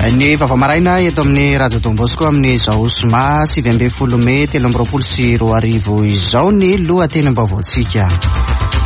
Ny vaovao maraina eto amin'ny Radio Don Bosco amin'izao zoma 19 mey 2023 izao ny lohatenim-baovaontsika.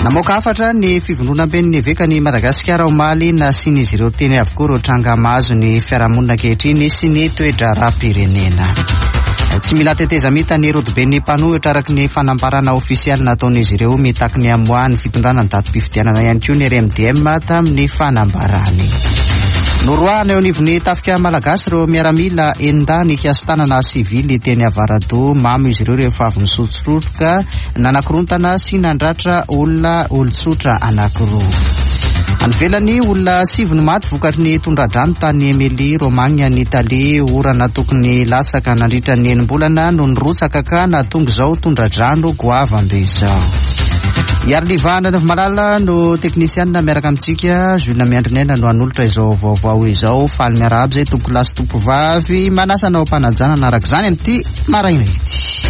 Namoaka hafatra ny fivondronamben'ny evekan'i Madagasikara omaly nasian'izy ireo teny avokoa ireo tranga mahazo ny fiarahamonina ankehitriny sy ny toe-draharaham-pirenena. Tsy mila tetezamita ny rodoben'ny mpanohitra araka ny fanambarana ofisialy nataon'izy ireo mitaky ny hamoahan'ny fitondrana ny datim-pifidianana ihany koa ny RMDM tamin'ny fanambarany. Noroahana eo anivon'ny tafika malagasy ireo miaramila enin-dahy nikasi-tanana sivily teny Avaradoha. Mamo izy ireo rehefa avy nisotrostroka, nanakorontana sy nandratra olona olon-tsotra anankiroa. Any ivelany, olona sivy no maty vokatry ny tondra-drano tany Emilia Romagna any Italia. Orana tokony latsaka nandritra ny enim-bolana no nirotsaka ka nahatonga izao tondra-drano goavambe izao. Iariliva Andrianaivomalala no teknisianina miaraka amintsika. Jules Miandrinaina no hanolotra izao vaovao izao. Faly miarahaba izay tompokolahy sy tompovavy. Manasa anao am-panajana hanaraka izany amin'ity maraina ity.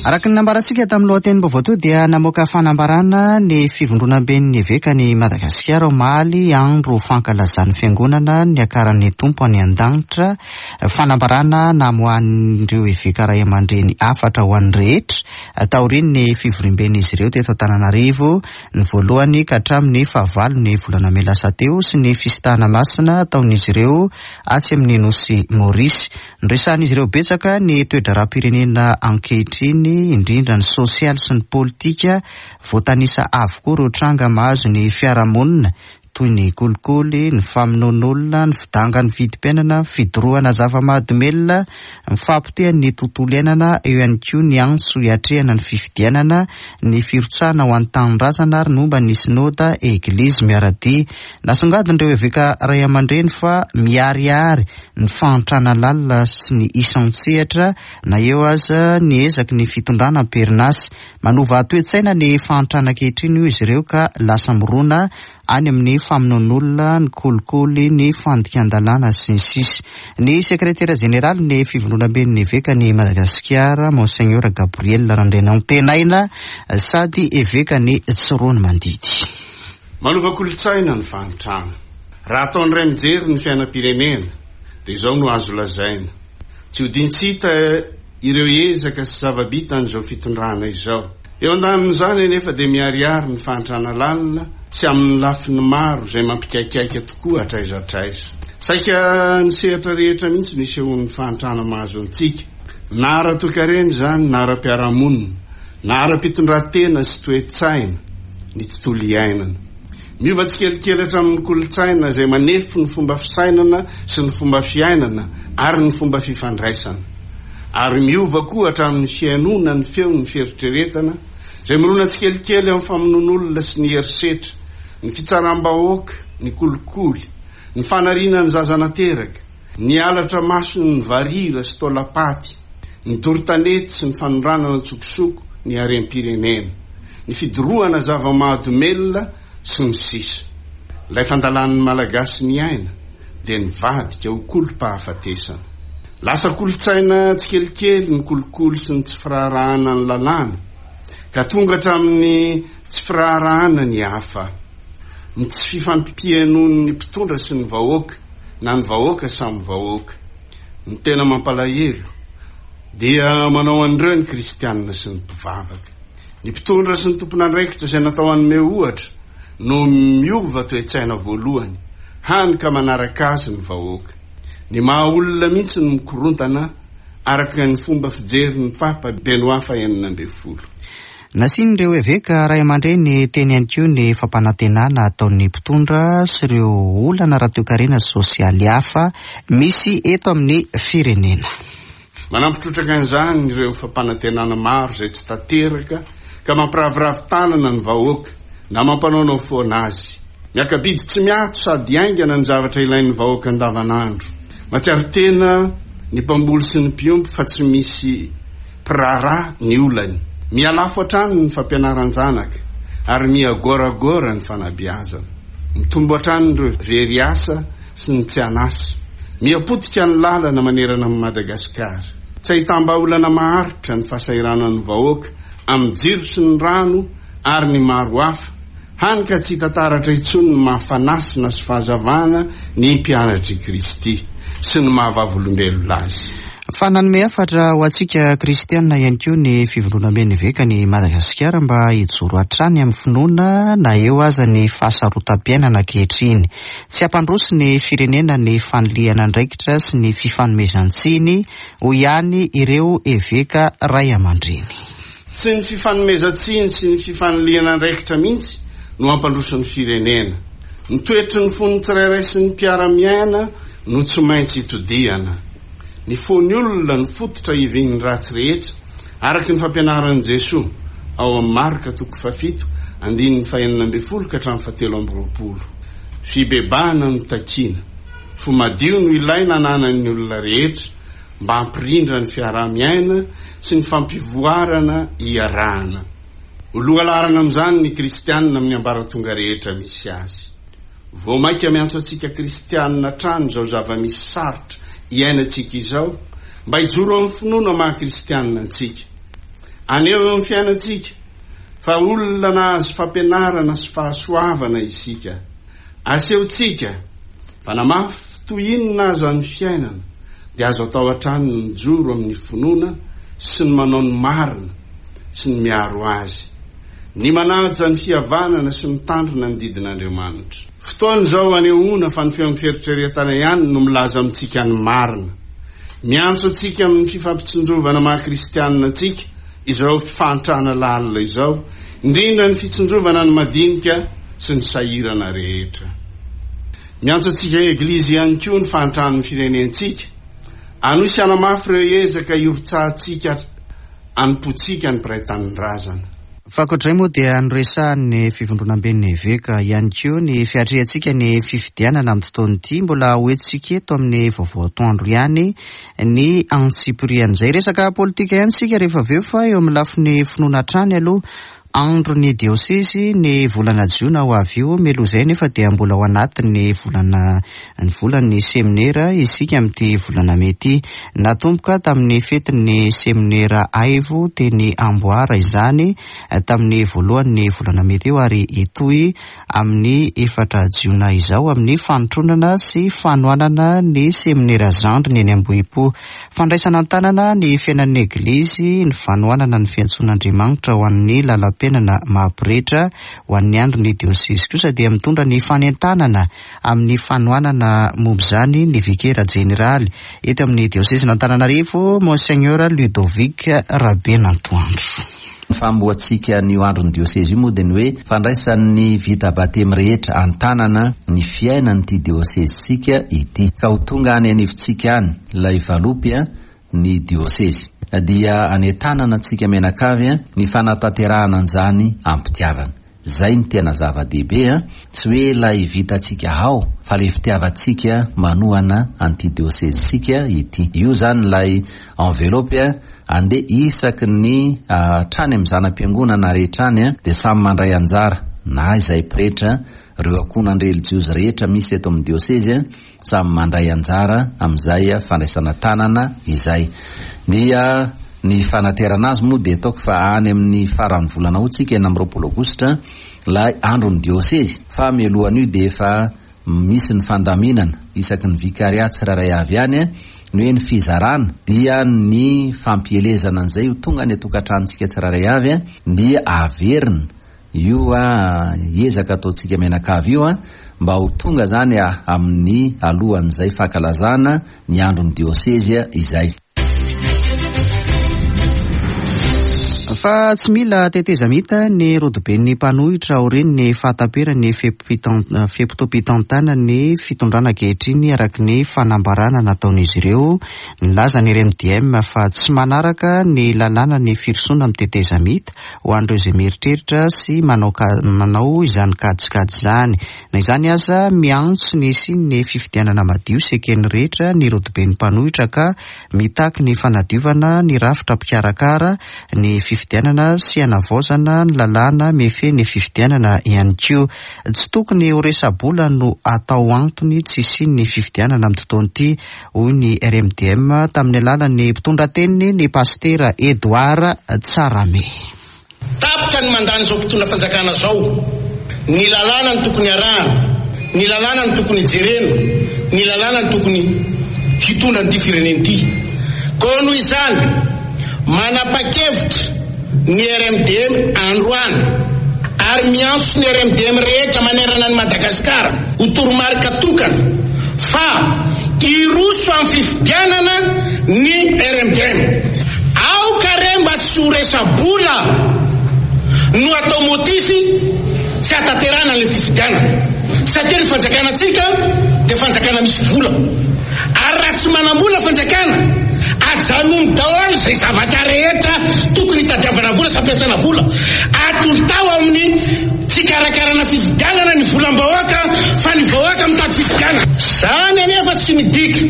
Araka ny nambarantsika tamin'ny lohatenim-baovao teo dia namoaka fanambarana ny fivondronamben'ny evekan'i Madagasikara omaly andro fankalazan'ny fiangonana niakaran'ny Tompo any an-danitra. Fanambarana namoahan'ireo eveka ray aman-dreny hafatra ho an'ny rehetra taorian'ny fivoriamben'izy ireo teto Antananarivo ny voalohany ka hatramin'ny fahavalon'ny volana mey lasa teo sy ny fisintahana masina ataon'izy ireo atsy amin'ny nosy Maurice. Noresahan'izy ireo betsaka ny toe-draharaham-pirenena ankehitriny, indrindra ny sosialy sy ny politika. Voatanisa avokoa ireo tranga mahazo ny fiarahamonina, toy ny kolikoly, ny famonoan'olona, ny fidangan'ny vidim-piainana, ny fidorohana zava-mahadomelina, ny fahapotehan'ny tontolo iainana, eo ihany koa ny antso hiatrehana ny fifidianana, ny firotsahana ho an'ny tanindrazana ary ny momba ny Synoda Eglizy miara-dia. Nasongadin'ireo eveka raiamandreny fa miharihary ny fahantrana lalina sy ny isan-tsehatra na eo aza ny ezaky ny fitondrana am-perinasa. Manova toe-tsaina ny fahantrana ankehitriny hoy izy ireo ka lasa mirona any amin'ny famonoan'olona, ny kolikoly, ny fandikan-dalàna sy ny sisa. Ny sekretera jeneralin'ny Fivondronamben'ny Evekan'i Madagasikara, Monseigneur Gabriel Randrianantenaina sady Evekan'i Tsiroanomandidy. Manova kolontsaina ny fahantrana. Raha atao indray mijery ny fiainam-pirenena dia izao no azo lazaina, tsy odian-tsy hita ireo ezaka sy zava-bitan'izao fitondrana izao. Eo andanin'izany anefa dia miharihary ny fahantrana lalina tsy amin'ny lafiny maro izay mampikaikaika tokoa hatraiza hatraiza. Saika ny sehatra rehetra mihitsy no isehoan'ny fahantrana mahazo antsika, na ara-toekarena izany na ara-piarahamonina, na ara-pitondran-tena sy toe-tsaina, ny tontolo iainana. Miova tsikelikely hatramin'ny kolontsaina izay manefy ny fomba fisainana sy ny fomba fiainana ary ny fomba fifandraisana. Ary miova koa hatramin'ny fihainoana ny feon'ny fieritreretana izay mirona tsikelikely amin'ny famonoan'olona sy ny herisetra, ny fitsaram-bahoaka, ny kolikoly, ny fanariana ny zaza nateraka, ny halatra mason'ny varira sy taolam-paty, ny doro tanety sy ny fanondranana an-tsokosoko ny harem-pirenena, ny fidorohana zava-mahadomelina, sy ny sisa Ilay fandalan'ny Malagasy ny aina dia nivadika ho kolom-pahafatesana. Lasa kolontsaina tsikelikely ny kolikoly sy ny tsy firaharahana ny lalàna, ka tonga hatramin'ny tsy firaharahana ny hafa, ny tsy fifampihainoan'ny mpitondra sy ny vahoaka na ny vahoaka samy vahoaka. Ny tena mampalahelo dia manao an'ireo ny kristianina sy ny mpivavaka. Ny mpitondra sy ny tompon'andraikitra izay natao hanome ohatra no miova toe-tsaina voalohany, hany ka manaraka azy ny vahoaka. Ny maha olona mihitsy no mikorontana araka ny fomba fijerin'ny Papa Benoît fahenina ambin'ny folo. Nasian'ireo eveka ray aman-dreny teny ihany koa ny fampanantenana ataon'ny mpitondra sy ireo olana ara-toekarena sy sosialy hafa misy eto amin'ny firenena. Manampy trotraka an'izany ireo fampanantenana maro izay tsy tanteraka ka mampiraviravy tanana ny vahoaka na mampanaonao foana azy. Miaka-bidy tsy miato sady haingana ny zavatra ilain'ny vahoaka andavanandro. Mahatsiaro tena ny mpamboly sy ny mpiompy fa tsy misy mpiraharaha ny olany. Miha-lafo hatrany ny fampianaran-janaka ary miha-goragora ny fanabeazana. Mitombo hatrany ireo very asa sy ny tsy an'asa. Miha-potika ny lalana manerana an'i Madagasikara. Tsy ahitam-bahaolana maharitra ny fahasahiranan'ny vahoaka amin'ny jiro sy ny rano ary ny maro hafa. Hany ka tsy hita taratra intsony ny maha fanasina sy fahazavana ny mpianatr'i Kristy sy ny maha vavolombelona azy. Fa nanome hafatra ho antsika kristiana ihany koa ny Fivondronamben'ny Evekan'i Madagasikara mba hijoro hatrany amin'ny finoana na eo aza ny fahasarotam-piainana ankehitriny. Tsy hampandroso ny firenena ny fanilihana andraikitra sy ny fifanomezan-tsiny, hoy ihany ireo eveka raiamandreny. Tsy ny fifanomezan-tsiny sy ny fifanilihana andraikitra mihitsy no hampandroso ny firenena. Ny toetry ny fon'ny tsirairay sy ny mpiara-miaina no tsy maintsy itodihana. Ny fon'ny olona no fototra ivin'ny ratsy rehetra, araka ny fampianaran'i Jesoa ao amin'ny Marka toko fahafito andininy fahenina ambin'ny folo ka hatramin'ny fahatelo amby roapolo. Fibebahana no takiana. Fo madio no ilaina ananan'ny olona rehetra mba hampirindra ny fiaraha-miaina sy ny fampivoarana iarahana. Ho lohalaharana amin'izany ny kristianina amin'ny ambaratonga rehetra misy azy. Vao mainka miantso antsika kristianina hatrany izao zava-misy sarotra iainantsika izao mba hijoro amin'ny finoana maha kristianina antsika. Haneho eo amin'ny fiainantsika fa olona nahazo fampianarana sy fahasoavana isika. Asehontsika fa na mafy toy inona aza ny fiainana dia azo atao hatrany ny mijoro amin'ny finoana sy ny manao ny marina sy ny miaro azy, ny manaja ny fihavanana sy mitandrina ny didin'Andriamanitra. Fotoana izao hanehoana fa ny feon'ny fieritreretana ihany no milaza amintsika ny marina. Miantso antsika amin'ny fifampitsinjovana maha kristianina antsika izao fahantrana lalina izao, indrindra ny fitsinjovana ny madinika sy ny sahirana rehetra. Miantso antsika Eglizy ihany koa ny fahantran'ny firenentsika. Hanohy sy hanamafy ireo ezaka hirotsahantsika hanompoantsika ny mpiray tanindrazana. Fa ankoatr'izay moa dia noresahan'ny Fivondronamben'ny Eveka ihany koa ny fiatrehantsika ny fifidianana amin'ity taona ity. Mbola hoentintsika eto amin'ny vaovao atoandro ihany ny antsipirian'izay. Resaka politika ihany isika rehefa avy eo fa eo amin'ny lafiny finoana hatrany aloha. Andron'ny diosezy ny volana jiona ho avy io. Mialoha izay anefa dia mbola ao anatin'ny volana ny volan'ny seminera isika amin'ity volana mey ity. Natomboka tamin'ny fetin'ny seminera Aivo teny Amboara izany tamin'ny voalohan'ny volana mey teo ary hitohy amin'ny efatra jiona izao amin'ny fanotronana sy fanohanana ny seminera zandriny eny Ambohipo. Fandraisana an-tanana ny fiainan'ny Eglizy, ny fanohanana ny fiantsoan'Andriamanitra ho an'ny lalam-piainana maha-pretra ho an'ny andron'ny diosezy kosa dia mitondra ny fanentanana amin'ny fanohanana momba izany ny Vikera Jeneraly eto amin'ny diosezin'Antananarivo, Monseigneur Ludovic Rabenantoandro. Ny famohantsika an'io andron'ny diosezy io moa dia ny hoe fandraisan'ny vita batemy rehetra an-tanana ny fiainan'ity diosezintsika ity. Ka ho tonga any anivontsika any ilay valopy ny diosezy. Dia anentanana antsika mianakavy ny fanatanterahana an'izany am-pitiavana. Zay no tena zava-dehibe a! Tsy hoe ilay vitantsika ao fa ilay fitiavantsika manohana an'ity diosezintsika ity. Io zany ilay enveloppe andeha isaky ny hatrany amin'ny zana-piangonana rehetra any dia samy mandray anjara na izay pretra, ireo ankohonan-drelijiozy rehetra misy eto amin'ny diosezy. Samy mandray anjara amin'izay fandraisana tanana izay. Dia ny fanaterana azy moa dia ataoko fa any amin'ny faran'ny volana août tsika, 26 aogositra, ilay andron'ny diosezy. Fa mialohan'io dia efa misy ny fandaminana isaky ny vicariat tsirairay avy any, ny hoe ny fizarana dia ny fampielezana an'izay ho tonga any an-tokantranontsika tsirairay avy dia averina Io ezaka ataontsika mianakavy io mba ho tonga zany amin'ny alohan'izay fankalazana ny andron'ny diosezy izay. Fa tsy mila tetezamita ny rodoben'ny mpanohitra aorian'ny fahataperan'ny fe-potoam-pitantanan'ny fitondrana ankehitriny araka ny fanambarana nataon'izy ireo. Nilaza ny RMDM fa tsy manaraka ny lalàna ny firosoana amin'ny tetezamita ho an'ireo izay mieritreritra sy manao manao izany kajikajy izany. Na izany aza, miantso ny hisian'ny fifidianana madio sy eken'ny rehetra ny rodoben'ny mpanohitra ka mitaky ny fanadiovana ny rafitra mpikarakara ny fifidianana sy hanavaozana ny lalàna mifehy ny fifidianana ihany koa. Tsy tokony ho resa-bola no atao antony tsy hisian'ny fifidianana amin'ity taona ity, hoy ny RMDM tamin'ny alalan'ny mpitondra teniny, ny pasitera Edouard Tsarahame. Tapitra ny mandan'izao mpitondra fanjakana izao. Ny lalàna no tokony arahana, ny lalàna no tokony jerena, ny lalàna no tokony hitondra an'ity firenena ity. Koa noho izany, manapa-kevitra ny RMDM androany ary miantso ny RMDM rehetra manerana an'i Madagasikara ho toromarika tokana fa hiroso amin'ny fifidianana ny RMDM. Aoka re mba tsy ho resa-bola no atao motif tsy hatanterahana an'ilay fifidianana satria ny fanjakana-tsika dia fanjakana misy vola ary raha tsy manam-bola fanjakana ajanony daholo izay zavatra rehetra tokony hitadiavana vola sy hampiasana vola atontao amin'ny fikarakarana fifidianana ny volam-bahoaka fa ny vahoaka mitady fifidianana. Izany anefa tsy midika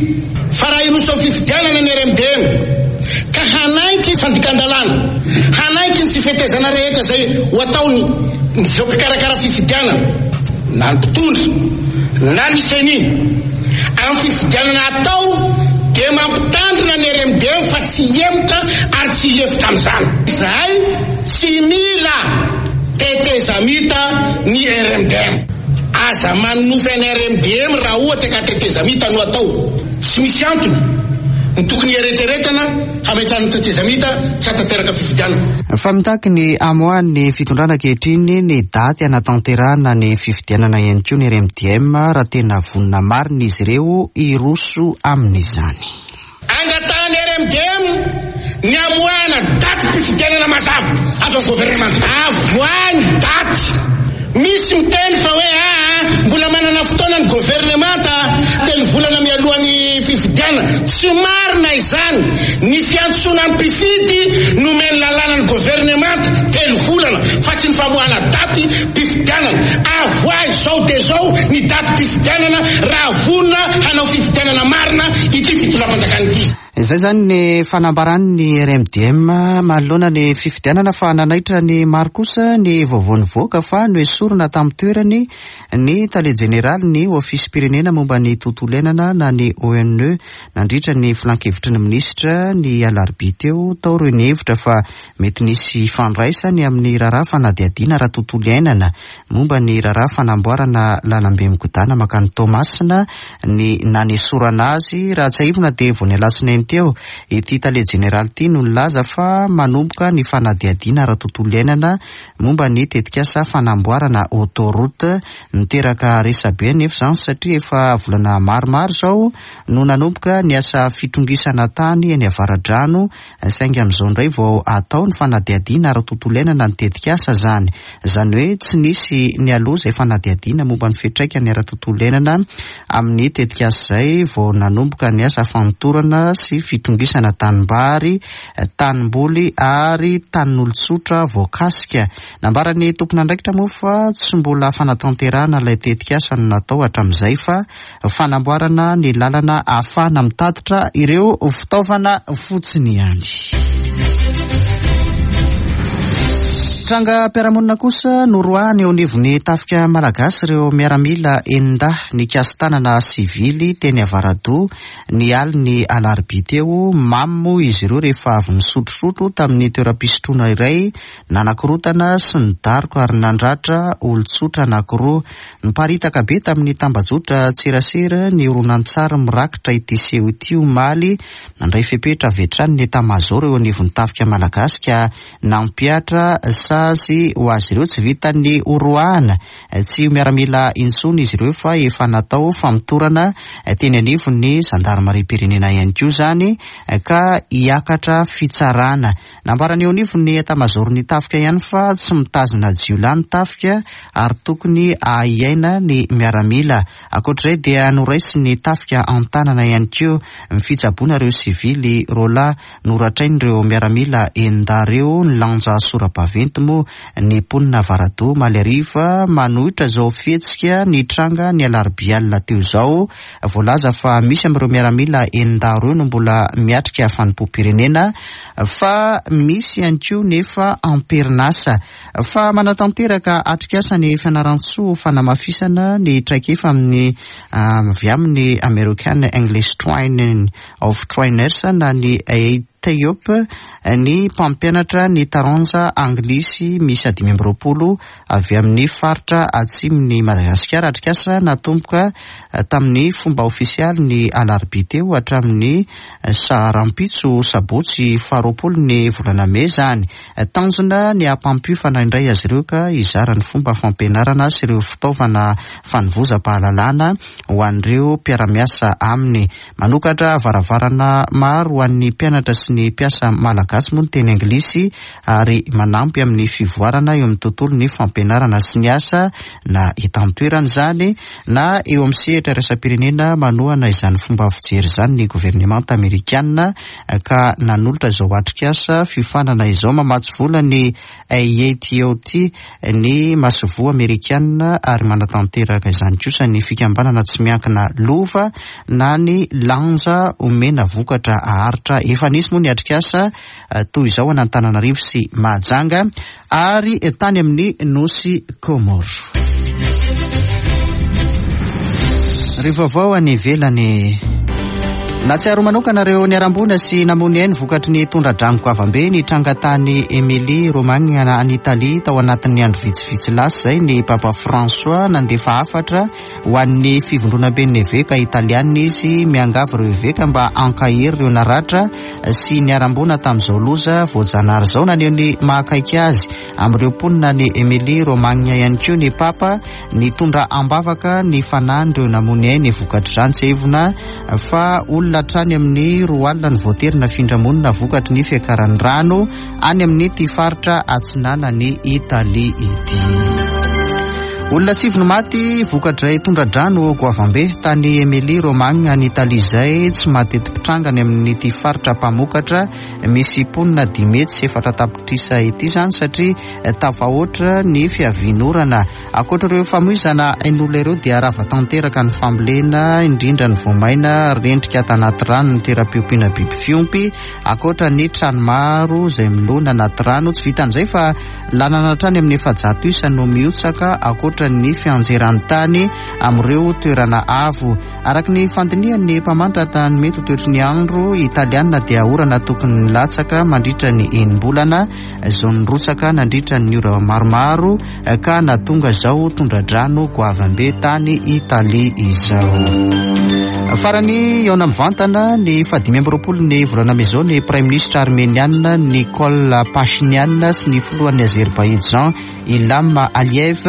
fa raha hiroso amin'ny fifidianana ny RMDM ka hanaiky fandikan-dalàna, hanaiky ny tsy fetezana rehetra izay ho ataony izao mpikarakara fifidianana na ny mpitondra na ny ceni amin'ny fifidianana atao dia mampitandrina ny RMDM fa tsy hihemotra ary tsy hilefitra amin'izany. Izahay tsy mila tetezamita ny RMDM. Aza manonofy an'i RMDM raha ohatra ka tetezamita no atao. Tsy misy antony ny tokony hieretreretana hametrahana tetezamita tsy hahatanteraka fifidianana. Fa mitaky ny hamoahan'ny fitondrana ankehitriny ny daty hanatanterahana ny fifidianana ihany koa ny RMDM raha tena vonona marina izy ireo hiroso amin'izany. Angatahan'ny RMDM ny hamoahana datim-pifidianana mazava avy amin'ny governemanta. Avoahy ny daty. Misy miteny fa hoe aa mbola manana fotoana ny governemanta telo volana mialoha ny fifidianana. Tsy marina izany. Ny fiantsoana ny mpifidy nomen'ny lalàna ny governemanta telo volana fa tsy ny famoahana daty pifidianana. Avoahy izao dia izao ny datim-pifidianana raha vonona hanao fifidianana marina ity fitondram-panjakana ity. Izay izany ny fanambaran'ny RMDM manoloana ny fifidianana fa nanaitra ny maro kosa ny vaovao nivoaka fa noesorina tamin'ny toerany ny tale jeneralin'ny Ofisim-pirenena momba ny tontolo iainana na ny ONE nandritra ny filankevitry ny minisitra ny alarobia teo. Tao ireo nihevitra fa Mety nisy ifandraisany amin'ny raharaha fanadihadiana ara-tontolo iainana momba ny raharaha fanamboarana lalambe migodàna mankany Toamasina ny nanesorana azy. Raha tsiahivina dia vao ny alatsinainy teo ity tale jeneraly ity no nilaza fa manomboka ny fanadihadiana ara-tontolo iainana momba ny tetikasa fanamboarana autoroute. Niteraka resabe anefa izany satria efa volana maromaro izao no nanomboka ny asa fitrongisana tany eny Avaradrano Saingy amin'izao indray vao atao ny fanadihadiana ara-tontolo iainana ny tetikasa izany. Izany hoe tsy nisy nialoha izay fanadihadiana momba ny fiantraikany ara-tontolo iainana amin'ny tetikasa izay vao nanomboka ny asa fanotorana sy fitongisana tanimbary, tanimboly ary tanin'olon-tsotra voakasika. Nambaran'ny tompon'andraikitra moa fa tsy mbola fanatanterahana ilay tetikasa no natao hatramin'izay fa fanamboarana ny lalana ahafahana mitatitra ireo fitaovana fotsiny ihany. Trangam-piarahamonina kosa noroahana eo anivon'ny tafika malagasy ireo miaramila enin-dahy nikasi-tanana sivily teny Avaradoha ny alin'ny alarobia teo. Mamo moa izy ireo rehefa avy nisotrosotro tamin'ny toeram-pisotroana iray Nanakorontana sy nidaroka ary nandratra olon-tsotra anankiroa. Niparitaka be tamin'ny tambajotra tserasera ny horonantsary mirakitra ity seho ity omaly. Nandray fepetra avy hatrany ny Etamazaoro eo anivon'ny tafika malagasy ka nampihatra sazy ho azy ireo. Tsy vitan'ny horoahana tsy ho miaramila intsony izy ireo fa efa natao famotorana teny anivon'ny zandarimariam-pirenena ihany koa izany ka hiakatra fitsarana. Nambaran'ny eo anivon'ny etamazaoron'ny tafika ihany fa tsy mitazona jiolahy ny tafika ary tokony hahay-hiaina ny miaramila. Ankoatra izay dia noraisin'ny tafika an-tanana ihany koa ny fitsaboana ireo sivily roalahy noratrain'ireo miaramila enin-dahy ireo. Nilanja sora-baventy moa ny mponina Avaradoha omaly hariva manohitra izao fihetsika nitranga ny alarobia alina teo izao. Voalaza fa misy amin'ireo miaramila enin-dahy ireo no mbola miatrika fanompoam-pirenena fa misy ihany koa nefa am-perinasa. Fa manatanteraka atrikasa ny Fianarantsoa ho fanamafisana ny traikefa amin'ny avy amin'ny American English Training of Trainers na ny. TEOP ny mpampianatra ny taranja anglisy miisa 25 avy amin'ny faritra atsimon'i Madagasikara. Atrikasa natomboka tamin'ny fomba ofisialy ny alarobia teo hatramin'ny saharampitso sabotsy faha-20 ny volana mey izany. Tanjona ny hampampiofana indray azy ireo ka hizara ny fomba fampianarana sy ireo fitaovana fanovozam-pahalalana ho an'ireo mpiara-miasa aminy. Manokatra varavarana maro ho an'ny mpianatra sy ny mpiasa malagasy moa ny teny anglisy ary manampy amin'ny fivoarana eo amin'ny tontolon'ny fampianarana sy ny asa na eto an-toerana izany na eo amin'ny sehatra iraisam-pirenena. Manohana izany fomba fijery izany ny governemanta amerikana ka nanolotra izao atrikasa fiofanana izao. Mamatsy vola ny AATOT ny masoivoho amerikana ary manatanteraka izany kosa ny fikambanana tsy miankina Lova na ny Lanja omena vokatra aharitra. Efa nisy moa ny atrikasa toy izao an'Antananarivo sy Mahajanga ary tany amin'ny Nosy Comores. Ry vaovao any ivelany. Nahatsiaro manokana ireo niharam-boina sy namoy ny ainy vokatry ny tondra-drano goavambe nitranga tany Emilia Romagna any Italia tao anatin'ny andro vitsivitsy lasa izay ny Papa François. Nandefa hafatra ho an'ny fivondronamben'ny eveka italiana izy, miangavy ireo eveka mba hankahery ireo naratra sy niharam-boina tamin'izao loza voajanahary izao. Naneho ny mahakaiky azy amin'ireo mponina any Emilia Romagna ihany koa ny Papa, nitondra am-bavaka ny fanahin'ireo namoy ainy vokatr'izany. Tsiahivina fa olona hatrany amin'ny 20 no voatery nafindra monina vokatry ny fiakaran'ny rano any amin'ity faritra atsinanan'i Italia ity. Olona 9 no maty vokatr'izay tondra-drano goavambe tany Emilia Romagna any Italia izay tsy mateti-pitranga any amin'ity faritra mpamokatra misy mponina 405 tapitrisa ity izany satria tafahoatra ny fiavian'orana. Ankoatra ireo famoizana ain'olona ireo dia rava tanteraka ny fambolena, indrindra ny voamaina, rendrika tanaty rano ny toeram-piompiana biby fiompy, ankoatra ny trano maro izay milona anaty rano. Tsy vitan'izay fa lalana hatrany amin'ny 400 isa no mihotsaka ankoatra ny fianjeran'ny tany amin'ireo toerana avo. Araka ny fandinihan'ny mpamantatra ny mety ho toetry ny andro italiana dia orana tokony nilatsaka mandritra ny enim-bolana izao nirotsaka nandritra ny ora maromaro ka nahatonga izao tondra-drano goavambe tany Italia izao. Farany hihaona mivantana ny faha-25 ny volana mey izao ny praiminisitra armeniana Nikol Pashinyan sy ny filohan'ny Azerbaijan Ilham Aliyev.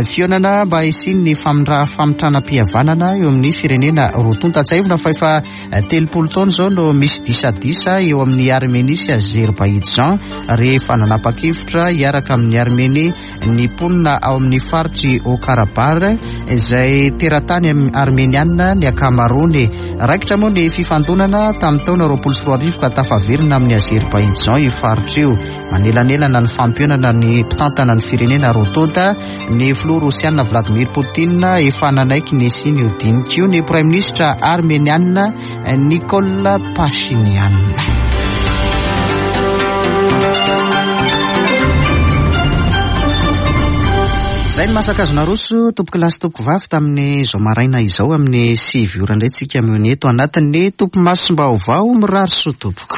Fihaonana mba hisian'ny famitranam-pihavanana eo amin'ny firenena roa tonta. Tsiahivina fa efa 30 taona izao no misy disadisa eo amin'ny Armenia sy Azerbaijan rehefa nanapa-kevitra hiaraka amin'ny Armenia ny mponina ao amin'ny faritr'i Haut-Karabakh izay teratany armeniana ny ankamaroany. Raikitra moa ny fifandonana tamin'ny taona 2020 ka tafaverina amin'ny Azerbaijan io faritra io. Manelanelana ny fampihaonana ny mpitantana ny firenena roa tonta, ny filoha rosiana Vladimir Poutine efa nanaiky ny hisian'io dinika io, ny praiminisitra armeniana Nikol Pashinyan. Izay ny masaka azo naroso tompoko lahy sy tompoko vavy tamin'izao maraina izao amin'ny 9 ora indray tsika mihaona eto anatin'ny topimasom-baovao. Mirary soa tompoko.